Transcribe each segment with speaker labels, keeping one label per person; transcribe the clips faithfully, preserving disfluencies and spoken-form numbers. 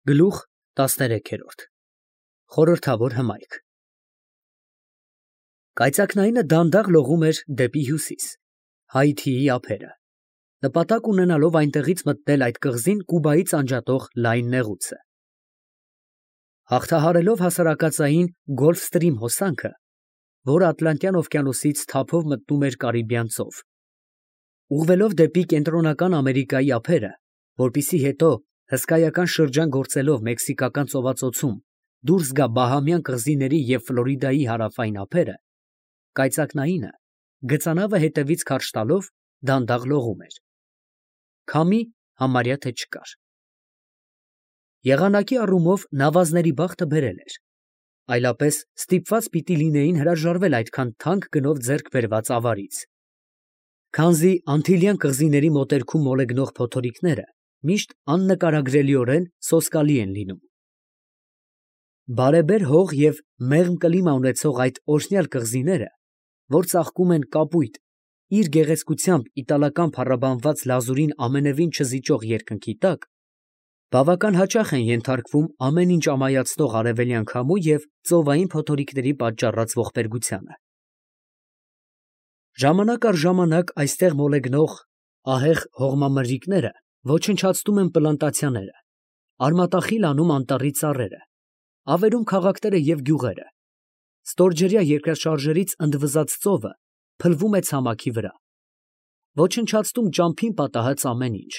Speaker 1: Գլուխ տասներեքերորդ Խորհրդավոր հմայք Կայծակնայինը դանդաղ լողում էր դեպի հյուսիս, Հայիթիի ափերը, նպատակ ունենալով այնտեղից մտնել այդ կղզին Կուբայից անջատող լայն նեղուցը։ Հաղթահարելով հասարակածային Գոլֆստրիմ հոսանքը, որը Ատլանտյան օվկիանոսից թափով մտնում էր Կարիբյան ծով, ուղղվելով դեպի Կենտրոնական Ամերիկայի ափերը, որպեսզի հետո հսկայական շրջան գործելով Մեքսիկական ծովածոցում դուրս գա Բահամյան կղզիների և Ֆլորիդայի հարավային ափերը, կայծակնայինը գծանավը հետևից քարշ տալով դանդաղ լողում էր։ Քամի համարյա թե չկար։ Եղանակի առումով նավազների բախտը բերել էր, այլապես ստիպված պիտի լինեին հրաժարվել այդքան թանկ գնով ձեռք բերված ավարից, քանզի Անտիլյան կղզիների մոտերքում մոլեգնող փոթորիկները միշտ աննկարագրելիորեն սոսկալի են լինում։ Բարեբեր հող և մեղմ կլիմա ունեցող այդ օրհնյալ կղզիները, որ ծաղկում են կապույտ, իր գեղեցկությամբ իտալական փառաբանված լազուրին ամենևին չզիջող երկնքի տակ, բավական հաճախ են ենթարկվում ամեն ինչ ամայացնող արևելյան քամու և ծովային փոթորիկների պատճառած ողբերգությանը։ Ժամանակ առ ժամանակ այստեղ մոլեգնող ահեղ հողմամրրիկները ոչնչացնում են պլանտացիաները, արմատախիլ անում անտառի ծառերը, ավերում քաղաքները և գյուղերը, ստորջրյա երկրաշարժերից ընդվզած ծովը փլվում է ցամաքի վրա, ոչնչացնում ճամփին պատահած ամեն ինչ,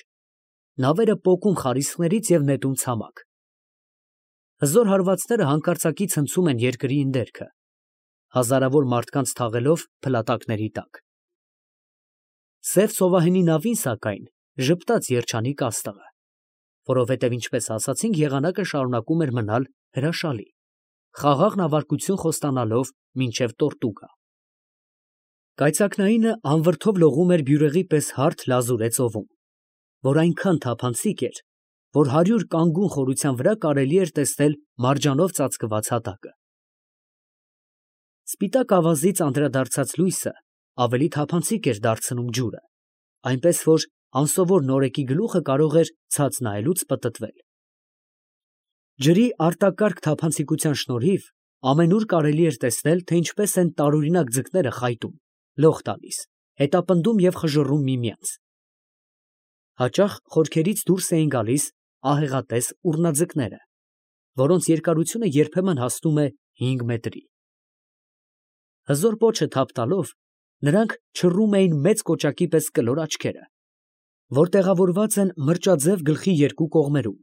Speaker 1: նավերը պոկում խարիսխներից և նետում ցամաք։ Հզոր հարվածները հանկարծակի ցնցում են երկրի ընդերքը, հազարավոր մարդկանց թաղելով փլատակների տակ։ Սև ծովահենի նավին, սակայն, ժպտաց երջանիկ աստղը, որովհետև, ինչպես ասացինք, եղանակը շարունակում էր մնալ հրաշալի, խաղաղ նավարկություն խոստանալով մինչև Տորտուգա։ Կայծակնայինը անվրդով լողում էր բյուրեղի պես հարթ լազուրե ծովում, որ այնքան թափանցիկ էր, որ հարյուր կանգուն խորության վրա կարելի էր տեսնել մարջանով ծածկված հատակը։ Սպիտակ ավազից անդրադարձած լույսը ավելի թափանցիկ էր դարձնում ջուրը, այնպես որ անսովոր նորեկի գլուխը կարող էր ցած նայելուց պտտվել։ Ջրի արտակարգ թափանցիկության շնորհիվ ամենուր կարելի էր տեսնել, թե ինչպես են տարօրինակ ձկները խայտում, լող տալիս, հետապնդում և խժռում միմյանց։ Հաճախ խորքերից դուրս էին գալիս ահեղատես ուռնաձկները, որոնց երկարությունը երբեմն հասնում է հինգ մետրի։ Հզոր պոչը թափ տալով, նրանք չռում էին մեծ կոճակի պես կլոր աչքերը, որ տեղավորված են մրճաձև գլխի երկու կողմերում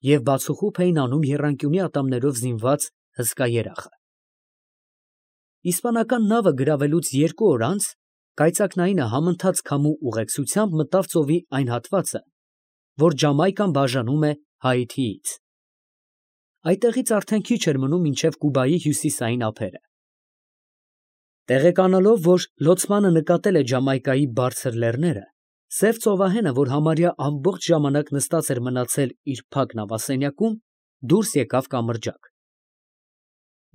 Speaker 1: և բացուխուփ էին անում եռանկյունի ատամներով զինված հսկա երախը։ Իսպանական նավը գրավելուց երկու օր անց կայծակնայինը համընթաց քամու ուղեկցությամբ մտավ ծովի այն հատվածը, որ Ջամայկան բաժանում է Հայիթիից։ Այդտեղից արդեն քիչ էր մնում մինչև Կուբայի հյուսիսային ափերը։ Տեղեկանալով, որ լոցմանը նկատել է Ջամայկայի բարձր լեռները, սև ծովահենը, որ համարյա ամբողջ ժամանակ նստած էր մնացել իր փակ նավասենյակում, դուրս եկավ կամրջակ։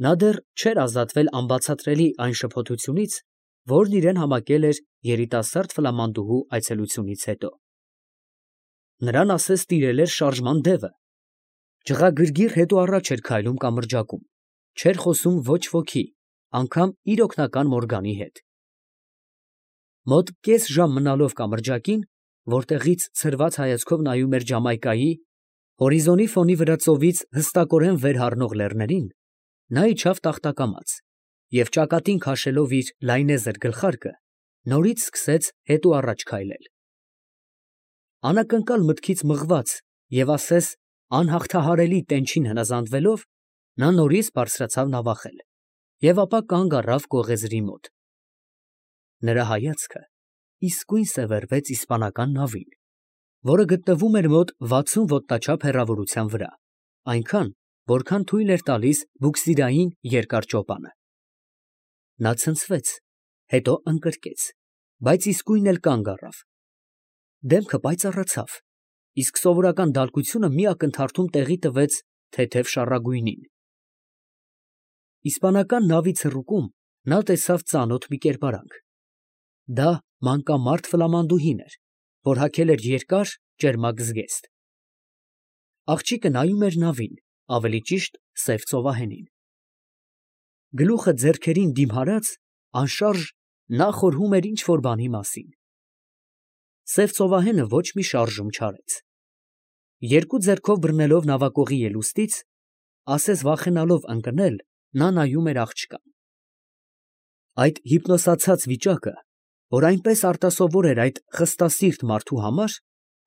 Speaker 1: Նա դեռ չէր ազատվել անբացատրելի այն շփոթությունից, որն իրան համակել էր երիտասարդ ֆլամանդուհու այցելությունից հետո։ Նրան ասես տիրել էր շարժման դևը։ Ջղագրգիռ հետո առաջ էր քայլում կամրջակում, չէր խոսում ոչ ոքի, անգամ իր օգնական Մորգանի հետ։ Մոտ կես ժամ մնալով կամրջակին, որտեղից ցրված հայացքով նայում էր Ջամայկայի հորիզոնի ֆոնի վրա ծովից հստակորեն վեր հառնող լեռներին, նա իջավ տախտակամաց և ճակատին քաշելով իր լայնեզր գլխարկը, նորից սկսեց հետո առաջ քայլել։ Անակնկալ մտքից մղված և ասես անհաղթահարելի տենչին հնազանդվելով, նա նորից բարձրացավ նավախել և ապա կանգ առավ կողեզրի մոտ։ Նրա հայացքը իսկույն սևեռվեց իսպանական նավին, որը գտնվում էր մոտ վաթսուն ոտնաչափ հեռավորության վրա, այնքան, որքան թույլ էր տալիս բուքսիրային երկար ճոպանը։ Նա ցնցվեց, հետո ընկրկեց, բայց իսկույն էլ կանգ առավ։ Դեմքը պայծառացավ, իսկ սովորական դալկությունը մի ակնթարթում տեղի տվեց թեթև շառագույնին։ Իսպանական նավի ցռուկում նա տեսավ ծանոթ մի կերպարանք։ Դա մանկամարդ ֆլամանդուհին էր, որ հագել էր երկար, ճերմակ զգեստ։ Աղջիկը նայում էր նավին, ավելի ճիշտ սև ծովահենին։ Գլուխը ձեռքերին դիմհարած, անշարժ, նա խորհում էր ինչ֊որ բանի մասին։ Սև ծովահենը ոչ մի շարժում չարեց։ Երկու ձեռքով բռնելով նավակողի ելուստից, ասես վախենալով ընկնել, նա նայում էր աղջկան։ Այդ հիպնոսացած վիճակը, որ այնպես արտասովոր էր այդ խստասիրտ մարդու համար,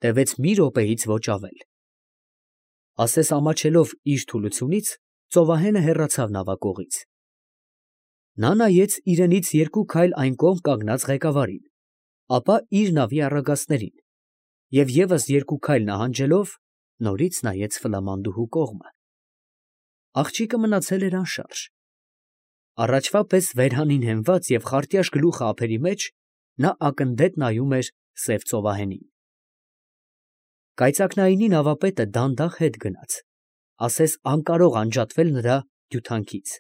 Speaker 1: տևեց մի րոպեից ոչ ավել։ Ասես ամաչելով իր թուլությունից, ծովահենը հեռացավ նավակողից։ Նա նայեց իրենից երկու քայլ այն կողմ կանգնած ղեկավարին, ապա իր նավի առագաստներին և ևս երկու քայլ նահանջելով, նորից նայեց Ֆլամանդուհու կողմը։ Աղջիկը մնացել էր անշարժ։ Առաջվա պես վերհանին հենված և խարտյաշ գլուխը ափերի մեջ, նա ակնդետ նայում էր սև ծովահենին։ Կայծակնայինի նավապետը դանդաղ հետ գնաց, ասես անկարող անջատվել նրա հյութանքից։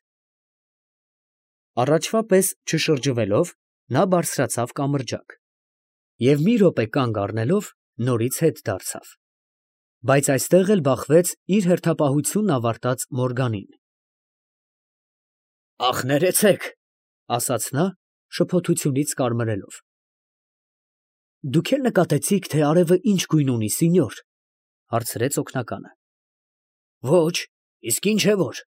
Speaker 1: Առաջվա պես չշրջվելով, նա բարձրացավ կամրջակ և մի րոպե կանգ առնելով, նորից հետ դարձավ, բայց այստեղ էլ բախվեց իր հերթապահությունն ավարտած Մորգանին։ ֊ Ախ, ներեցեք, ֊ ասաց նա, շփոթությունից կարմրելով։ ֊ Դուք էլ նկատեցի՞ք, թե արևը ինչ գույն ունի, սինյոր, ֊ հարցրեց օգնականը։ ֊ Ոչ, իսկ ինչ է որ։ ֊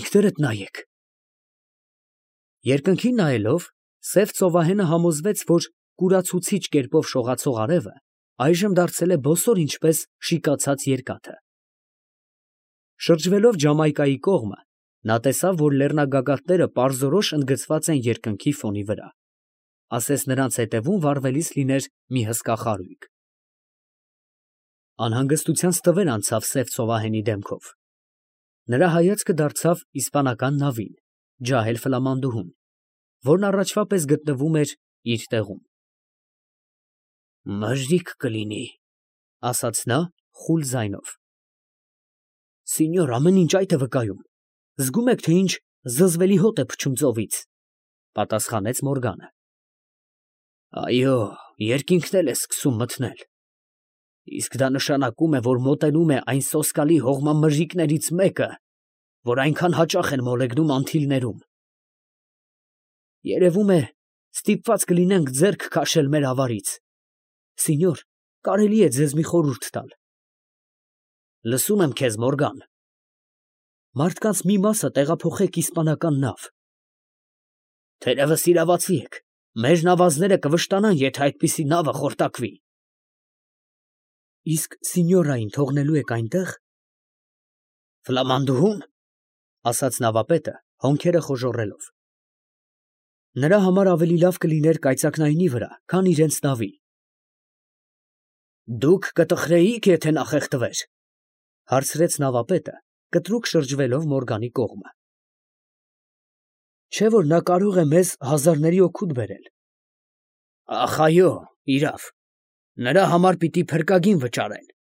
Speaker 1: Ինքներդ նայեք։ Երկնքին նայելով, սև ծովահենը համոզվեց, որ կուրացուցիչ կերպով շողացող արևը այժմ դարձել է բոսոր ինչպես շիկացած երկաթը։ Շրջվելով Ջամայկայի կողմը, նա տեսավ, որ լեռնագագաթները պարզորոշ ընդգծված են երկնքի ֆոնի վրա, ասես նրանց ետևում վառվելիս լիներ մի հսկա խարույկ։ Անհանգստության ստվեր անցավ սև ծովահենի դեմքով։ Նրա հայացքը դարձավ իսպանական նավին, ջահել Ֆլամանդուհուն, որն առաջվա պես գտնվում էր իր տեղում։ Մժրիկ կլինի, ֊ ասաց նա խուլ ձայնով։ ֊ Սինյոր, ամեն ինչ այդ է վկայում. զգում եք, թե ինչ զզվելի հոտ է փչում ծովից, ֊ պատասխանեց Մորգանը։ ֊ Այո, երկինքն էլ է սկսում մթնել, իսկ դա նշանակում է, որ մոտենում է այն սոսկալի հողմամժիկներից մեկը, որ այնքան հաճախ են մոլեգնում անթիլներում։ Երևում է, ստիպված կլինենք ձեռք քաշել մեր ավարից։ Սինյոր, կարելի է ձեզ մի խորհուրդ տալ։ ֊ Լսում եմ քեզ, Մորգան։ ֊ Մարդկանց մի մասը տեղափոխեք իսպանական նավ։ ֊ Թերևս իրավացի եք, մեր նավազները կվշտանան, եթե այդպիսի նավը խորտակվի։ ֊ Իսկ սինյորային թողնելու եք այնտեղ։ ֊ Ֆլամանդուհուն, ֊ ասաց նավապետը, հոնքերը խոժոռելով։ Նրա համար ավելի լավ կլիներ կայծակնայինի վրա, քան իրենց նավի։ ֊ Դուք կտխրեի՞ք, եթե նա խեղդվեր, ֊ հարցրեց նավապետը, կտրուկ շրջվելով Մորգանի կողմը։ ֊ Չէ՞ որ նա կարող է մեզ հազարների օգուտ բերել։ ֊ Ախ, այո, իրավ, նրա համար պիտի փրկագին վճարեն։ ֊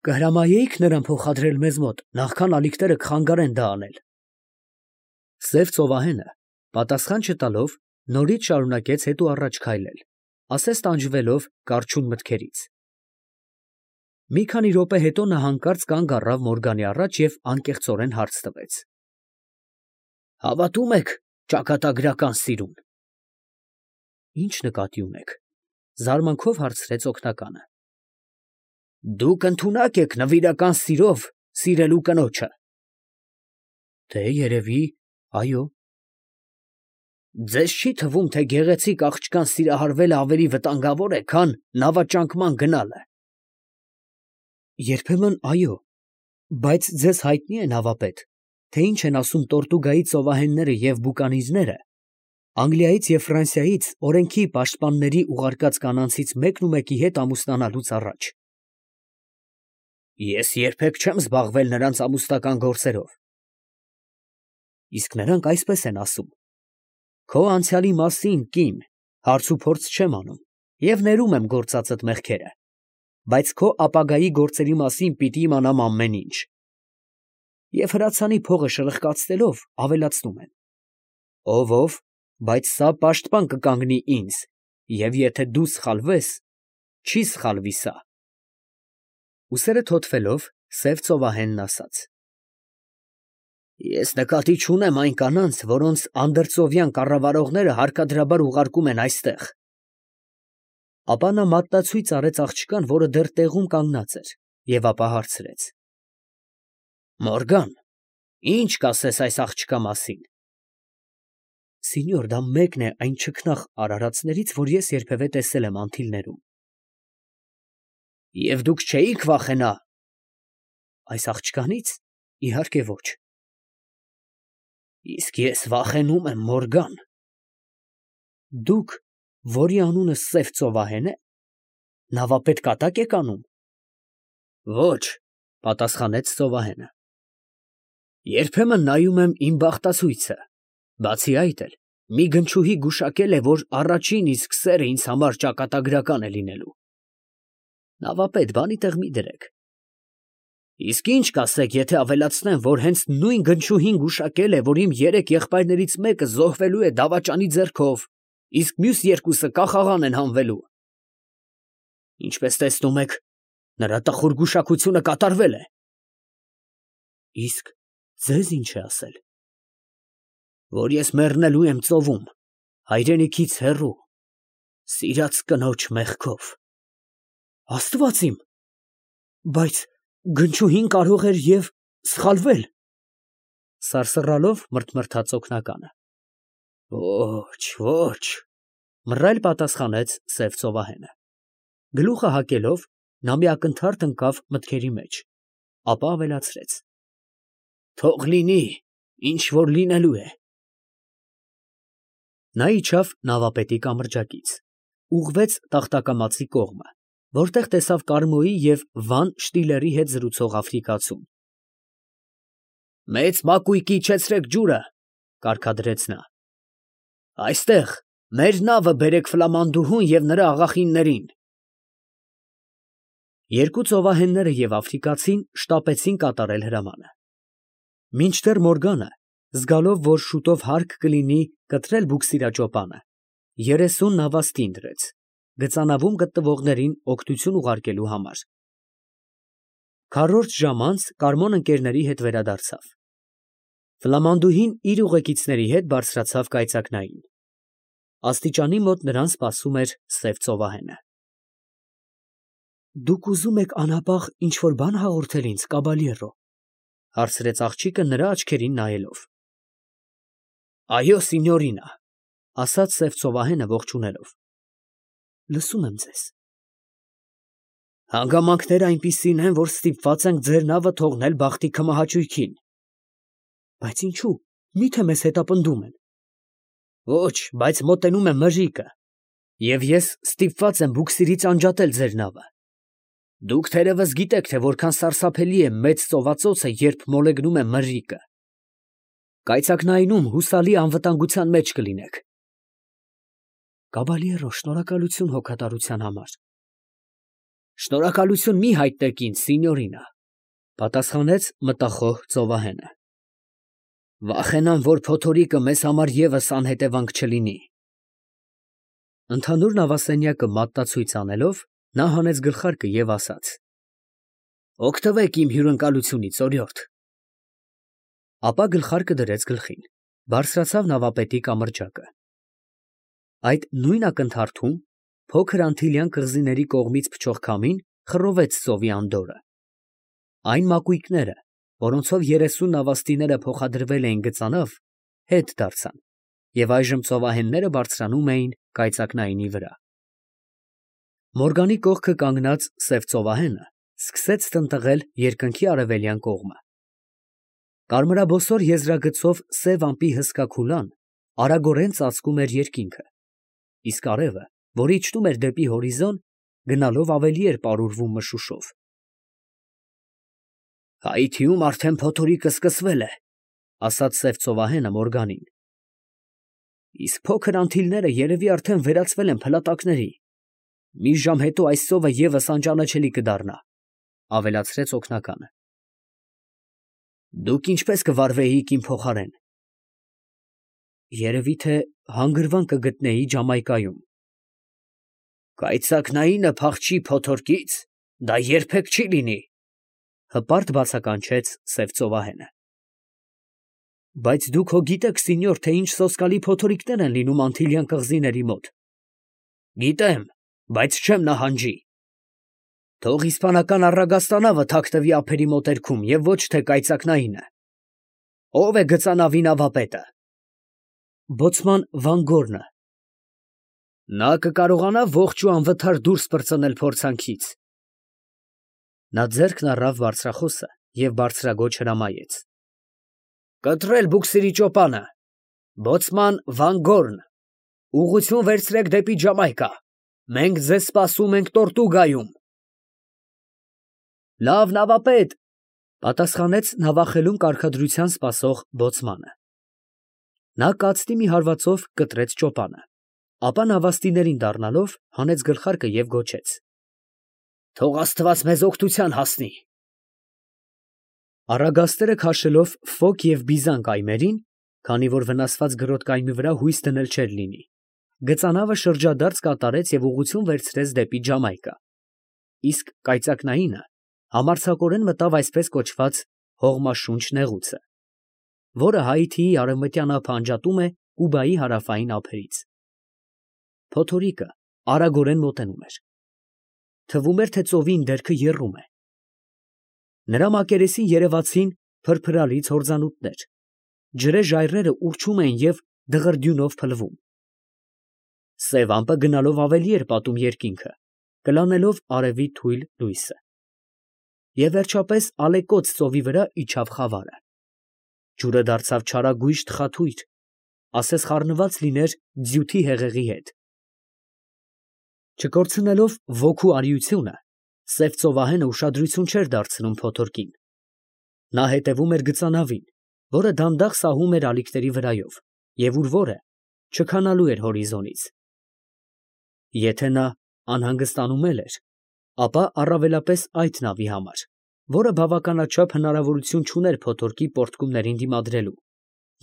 Speaker 1: Կհրամայեի՞ք նրան փոխադրել մեզ մոտ, նախքան ալիքները կխանգարեն դա անել։ Սև ծովահենը, պատասխան չտալով, նորից շարունակեց հետո առաջ քայլել, ասես տանջվելով կառչուն մտքերից։ Մի քանի րոպե հետո նա հանկարծ կանգ առավ Մորգանի առաջ և անկեղծորեն հարց տվեց. ֊ Հավատո՞ւմ եք ճակատագրական սիրուն։ ֊ Ի՞նչ նկատի ունեք, ֊ զարմանքով հարցրեց օգնականը։ ֊ Դուք ընդունակ եք նվիրական սիրով սիրելու կնոջը։ ֊ Դե, երևի, այո։ ֊ Ձեզ չի թվում, թե գեղեցիկ աղջկան սիրահարվելը ավելի վտանգավոր է, քան նավաճանկման գնալը։ ֊ Երբեմն այո, բայց ձեզ հայտնի է, նավապետ, թե ինչ են ասում Տորտուգայի ծովահենները և բուկանիզները Անգլիայից և Ֆրանսիայից օրենքի պաշտպանների ուղարկած կանանցից մեկնումեկի հետ ամուսնանալուց առաջ։ ֊ Ես երբեք չեմ զբաղվել նրանց ամուսնական գործերով։ ֊ Իսկ նրանք այսպես են ասում. Քո անցյալի մասին, կին, հարցուփորձ չեմ անում և ներում եմ գործածդ մեղքերը, բայց քո ապագայի գործերի մասին պիտի իմանամ ամեն ինչ։ Եվ հրացանի փողը շրխկացնելով ավելացնում են. ով ով, բայց սա պաշտպան կկանգնի ինձ, և եթե դու սխալվես, չի սխալվի սա։ Ուսերը թոթվելով, սև ծովահենն ասաց. Ես նկատի չունեմ այն կանանց, որոնց անդրծովյան կառավարողները հարկադրաբար ուղարկում են այստեղ։ Ապա նա մատնացույց արեց աղջկան, որը դեռ տեղում կանգնած էր, և ապա հարցրեց. Մորգան, ի՞նչ կասես այս աղջկա մասին։ Սինյոր, դա մեկն է այն չքնաղ արարածներից, որ ես երբևէ տեսել եմ Անտիլներում։ Եվ դուք չէիք վախենա։ Այս աղջկանից, իհարկե ոչ։ Իսկ ես վախենում եմ, Մորգան։ Դուք, որի անունը Սև ծովահեն է, նավապետ կատակ եք անում։ Ոչ, պատասխանեց ծովահենը։ Երբեմն նայում եմ իմ բախտացույցը, բացի այդ էլ, մի գնչուհի գուշակել է, որ առաջին իսկ սերը ինձ համար ճակատագրական է լինելու։ Նավապետ, բանի տեղ մի դրեք։ Իսկ ինչ կասեք, եթե ավելացնեմ, որ հենց նույն գնչուհին գուշակել է, որ իմ երեք եղբայրներից մեկը զոհվելու է դավաճանի ձեռքով, իսկ մյուս երկուսը կախաղան են հանվելու։ Ինչպես տեսնում եք, նրա տխուր գուշակությունը կատարվել է։ Իսկ ձեզ ինչ է ասել։ Որ ես մեռնելու եմ ծովում, հայրենիքից հեռու, սիրած կնոջ մեղքով։ Աստված իմ, բայց գնչուհին կարող էր և սխալվել։ Սարսռալով մրթմրթաց օգնականը։ Ոչ, ոչ, մռայլ պատասխանեց Սև ծովահենը։ Գլուխը հակելով, նա մի ակնթարթ ընկավ մտքերի մեջ, ապա ավելացրեց. Թող լինի, ինչ որ լինելու է։ Նա իջավ նավապետի կամրջակից, ուղղվեց Տախտակամածի կողմը, որտեղ տեսավ Կարմոյի և Վան Շտիլերի հետ զրուցող աֆրիկացուն։ Մեծ մակույկի իջեցրեք ջուրը, կարգադրեց նա։ Այստեղ մեր նավը բերեք ֆլամանդուհուն և նրա աղախիններին։ Երկու ծովահենները և աֆրիկացին շտապեցին կատարել հրամանը։ Մինչդեռ Մորգանը, զգալով, որ շուտով հարկ կլինի կտրել բուքսիրաճոպանը, երեսուն նավաստին դրեց, գծանավում գտնվողներին օգնություն ուղարկելու համար։ Քառորդ ժամ անց Կարմոն ընկերների հետ վերադարձավ։ Ֆլամանդուհին իր ուղեկիցների հետ բարձրացավ կայծակնային։ Աստիճանի մոտ նրան սպասում էր Սև ծովահենը։ Դուք ուզում եք անհապաղ ինչ-որ բան հաղորդել ինձ, կաբալյերո, հարցրեց աղջիկը նրա աչքերին նայելով։ Այո, սինյորինա, ասաց Սև ծովահենը ողջունելով։ Լսում եմ ձեզ։ Հանգամանքները այնպիսին են, որ ստիպված ենք ձեր նավը թողնել բախտի քմահաճույքին։ Բայց ինչու, միթե մեզ հետապնդում են։ Ոչ, բայց մոտենում է մրրիկը, և ես ստիպված եմ բուքսիրից անջատել ձեր նավը։ Դուք թերևս գիտեք, թե որքան սարսափելի է մեծ ծովածոցը, երբ մոլեգնում է մրրիկը։ Կայծակնայինում հուսալի անվտանգության մեջ կլինեք։ Կաբալյերո, շնորհակալություն հոգատարության համար։ Շնորհակալություն մի հայտնեք ինձ, սինյորինա, պատասխանեց մտախոհ ծովահենը։ Վախենամ, որ փոթորիկը մեզ համար ևս անհետևանք չլինի։ Ընդհանուր նավասենյակը մատնացույց անելով, նա հանեց գլխարկը և ասաց. Օգտվեք իմ հյուրընկալությունից, օրիորդ։ Ապա գլխարկը դրեց գլխին, բարձրացավ նավապետի կամրջակը։ Այդ նույն ակնթարթում փոքր անտիլյան կղզիների կողմից փչող քամին խռովեց ծովի անդորրը։ Այն մակույկները, որոնցով երեսուն նավաստիները փոխադրվել էին գծանավ, հետ դարձան, և այժմ ծովահենները բարձրանում էին կայծակնայինի վրա։ Մորգանի կողքը կանգնած Սև ծովահենը սկսեց տնտղել երկնքի արևելյան կողմը։ Կարմրաբոսոր եզրագծով սև ամպի հսկա քուլան արագորեն ծածկում էր երկինքը, իսկ արևը, որ իջնում էր դեպի հորիզոն, գնալով ավելի էր պարուրվում մշուշով։ Հայիթիում արդեն փոթորիկը սկսվել է, ասաց Սև ծովահենը Մորգանին։ Իսկ փոքր անտիլները երևի արդեն վերածվել են փլատակների։ Մի ժամ հետո այս ծովը ևս անճանաչելի կդառնա, ավելացրեց օգնականը։ Դուք ինչպես կվարվեիք իմ փոխարեն։ Երևի թե հանգրվան կգտնեի Ջամայկայում։ Կայծակնայինը փախչի փոթորկից, Դա երբեք չի լինի, հպարտ բացականչեց սև ծովահենը։ Բայց դուք հո գիտեք, սինյոր, թե ինչ սոսկալի փոթորիկներ են լինում Անտիլյան կղզիների մոտ։ Գիտեմ, բայց չեմ նահանջի։ Թող իսպանական առագաստանավը թաքնվի ափերի մոտերքում և ոչ թե կայծակնայինը։ Ո՞վ է գծանավի նավապետը։ Բոցման Վան Գորնը։ Նա կկարողանա ողջ ու անվթար դուրս պրծնել փորձանքից։ Նա ձեռքն առավ բարձրախոսը և բարձրաձոչ հրամայեց. Կտրել բուքսերի ճոպանը, բոցման Վան Գորն, ուղղություն վերցրեք դեպի Ջամայկա, մենք ձեզ սպասում ենք Տորտուգայում։ Լավ, նավապետ, պատասխանեց նավախելում կարգադրության սպասող բոցմանը։ Նա կացնի մի հարվածով կտրեց ճոպանը, ապա նավաստիներին դառնալով հանեց գլխարկը և գոչեց. Թող Աստված մեզ օգնության հասնի։ Առագաստերը քաշելով Ֆոկ և Բիզան կայմերին, քանի որ վնասված գրոտ կայմի վրա հույս դնել չէր լինի, գծանավը շրջադարձ կատարեց և ուղղություն վերցրեց դեպի Ջամայկա, իսկ կայծակնայինը համարձակորեն մտավ այսպես կոչված հողմաշունչ նեղուցը, որը Հայիթիի արևմտյան ափը անջատում է Կուբայի հարավային ափերից։ Փոթորիկը արագորեն մոտենում էր։ Թվում էր, թե ծովի ընդերքը եռում է։ Նրա մակերեսին երևացին փրփրալից հորձանուտներ, ջրե ժայռերը ուռչում էին և դղրդյունով փլվում։ Սև ամպը գնալով ավելի էր պատում երկինքը, կլանելով արևի թույլ լույսը։ Եվ վերջապես ալեկոծ ծովի վրա իջավ խավարը։ Ջուրը դարձավ չարագույժ թխաթույր, ասես խառնված լիներ ձյութի հեղեղի հետ։ Չկորցնելով ոգու արիությունը, սև ծովահենը ուշադրություն չէր դարձնում փոթորկին։ Նա հետևում էր գծանավին, որը դանդաղ սահում էր ալիքների վրայով և ուր որը չքանալու էր հորիզոնից։ Եթե նա անհանգստանում էլ էր, ապա առավելապես այդ նավի համար, որը բավականաչափ հնարավորություն չուներ փոթորկի պոռթկումներին դիմադրելու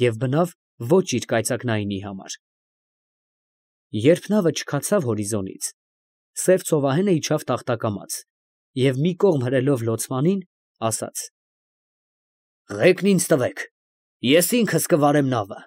Speaker 1: և բնավ ոչ իր կայծակնայինի համար։ Երբ նավը չքացավ հորիզոնից, սև ծովահենը իջավ տախտակամաց և մի կողմ հրելով լոցմանին, ասաց. Ղեկն ինձ տվեք, ես ինքս կվարեմ նավը։